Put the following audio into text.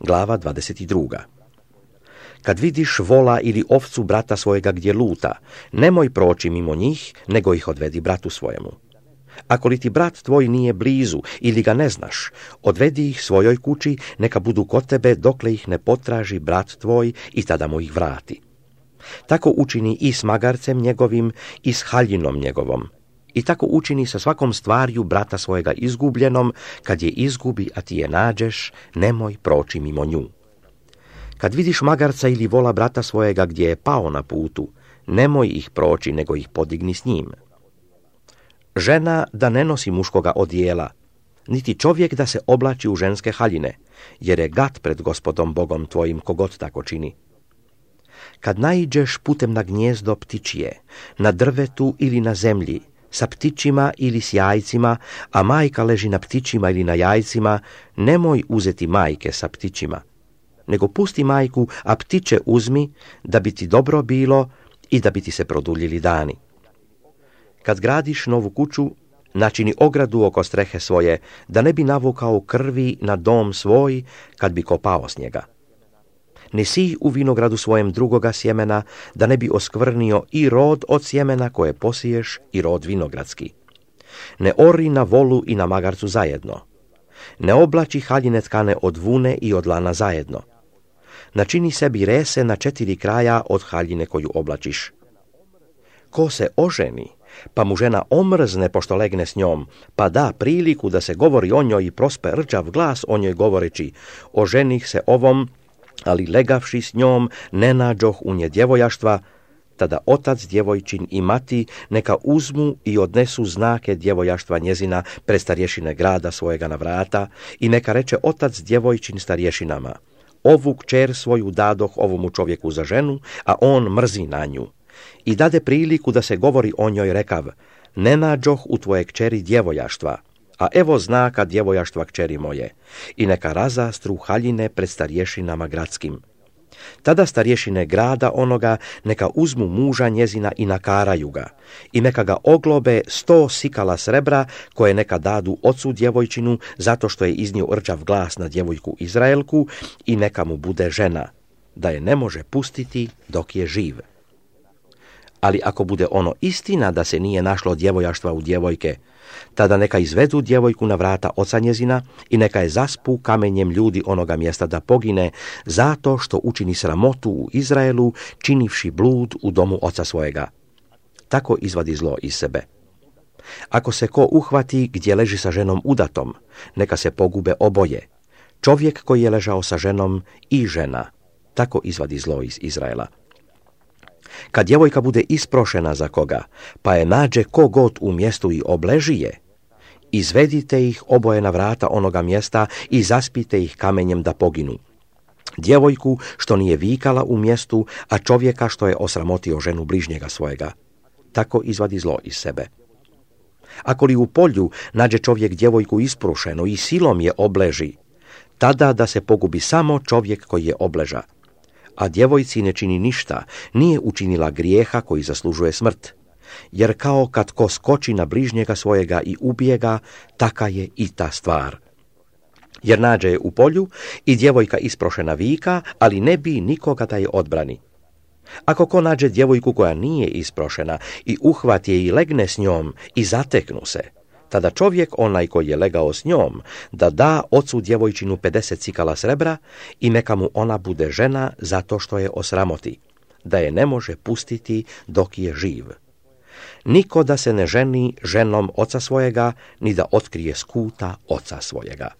glava 22. Kad vidiš vola ili ovcu brata svojega gdje luta, nemoj proći mimo njih, nego ih odvedi bratu svojemu. Ako li ti brat tvoj nije blizu ili ga ne znaš, odvedi ih svojoj kući, neka budu kod tebe dokle ih ne potraži brat tvoj i tada mu ih vrati. Tako učini i s magarcem njegovim i s haljinom njegovom. I tako učini sa svakom stvarju brata svojega izgubljenom, kad je izgubi, a ti je nađeš, nemoj proći mimo nju. Kad vidiš magarca ili vola brata svojega gdje je pao na putu, nemoj ih proći, nego ih podigni s njim. Žena da ne nosi muškoga odijela, niti čovjek da se oblači u ženske haljine, jer je gad pred Gospodom Bogom tvojim kogod tako čini. Kad naiđeš putem na gnjezdo ptičije, na drvetu ili na zemlji, sa ptičima ili s jajcima, a majka leži na ptičima ili na jajcima, nemoj uzeti majke sa ptičima, nego pusti majku, a ptiče uzmi, da bi ti dobro bilo i da bi ti se produljili dani. Kad gradiš novu kuću, načini ogradu oko strehe svoje, da ne bi navukao krvi na dom svoj, kad bi kopao s njega. Ne sij u vinogradu svojem drugoga sjemena, da ne bi oskvrnio i rod od sjemena koje posiješ i rod vinogradski. Ne ori na volu i na magarcu zajedno. Ne oblači haljine tkane od vune i od lana zajedno. Načini sebi rese na 4 kraja od haljine koju oblačiš. Ko se oženi, pa mu žena omrzne pošto legne s njom, pa da priliku da se govori o njoj i prospe rđav glas o njoj govoreći, oženih se ovom, ali legavši s njom ne nađoh u nje djevojaštva, tada otac djevojčin i mati neka uzmu i odnesu znake djevojaštva njezina pred starješine grada svojega na vrata i neka reče otac djevojčin starješinama, ovu kćer svoju dadoh ovomu čovjeku za ženu, a on mrzi na nju. I dade priliku da se govori o njoj rekav, ne nađoh u tvoje kćeri djevojaštva, a evo znaka djevojaštva kćeri moje, i neka razastru haljine pred starješinama gradskim. Tada starješine grada onoga neka uzmu muža njezina i nakaraju ga, i neka ga oglobe 100 sikala srebra, koje neka dadu ocu djevojčinu, zato što je iznio rđav glas na djevojku Izraelku, i neka mu bude žena, da je ne može pustiti dok je živ. Ali ako bude ono istina da se nije našlo djevojaštva u djevojke, tada neka izvedu djevojku na vrata oca njezina i neka je zaspu kamenjem ljudi onoga mjesta da pogine, zato što učini sramotu u Izraelu, činivši blud u domu oca svojega. Tako izvadi zlo iz sebe. Ako se ko uhvati gdje leži sa ženom udatom, neka se pogube oboje, čovjek koji je ležao sa ženom i žena. Tako izvadi zlo iz Izraela. Kad djevojka bude isprošena za koga, pa je nađe kogod u mjestu i obleži je, izvedite ih oboje na vrata onoga mjesta i zaspite ih kamenjem da poginu. Djevojku što nije vikala u mjestu, a čovjeka što je osramotio ženu bližnjega svojega. Tako izvadi zlo iz sebe. Ako li u polju nađe čovjek djevojku isprušenu i silom je obleži, tada da se pogubi samo čovjek koji je obleža. A djevojci ne čini ništa, nije učinila grijeha koji zaslužuje smrt. Jer kao kad ko skoči na bližnjega svojega i ubije ga, taka je i ta stvar. Jer nađe je u polju i djevojka isprošena vika, ali ne bi nikoga da je odbrani. Ako ko nađe djevojku koja nije isprošena i uhvati je i legne s njom i zateknu se, tada čovjek, onaj koji je legao s njom, da ocu djevojčinu 50 cikala srebra i neka mu ona bude žena zato što je osramoti, da je ne može pustiti dok je živ. Niko da se ne ženi ženom oca svojega, ni da otkrije skuta oca svojega.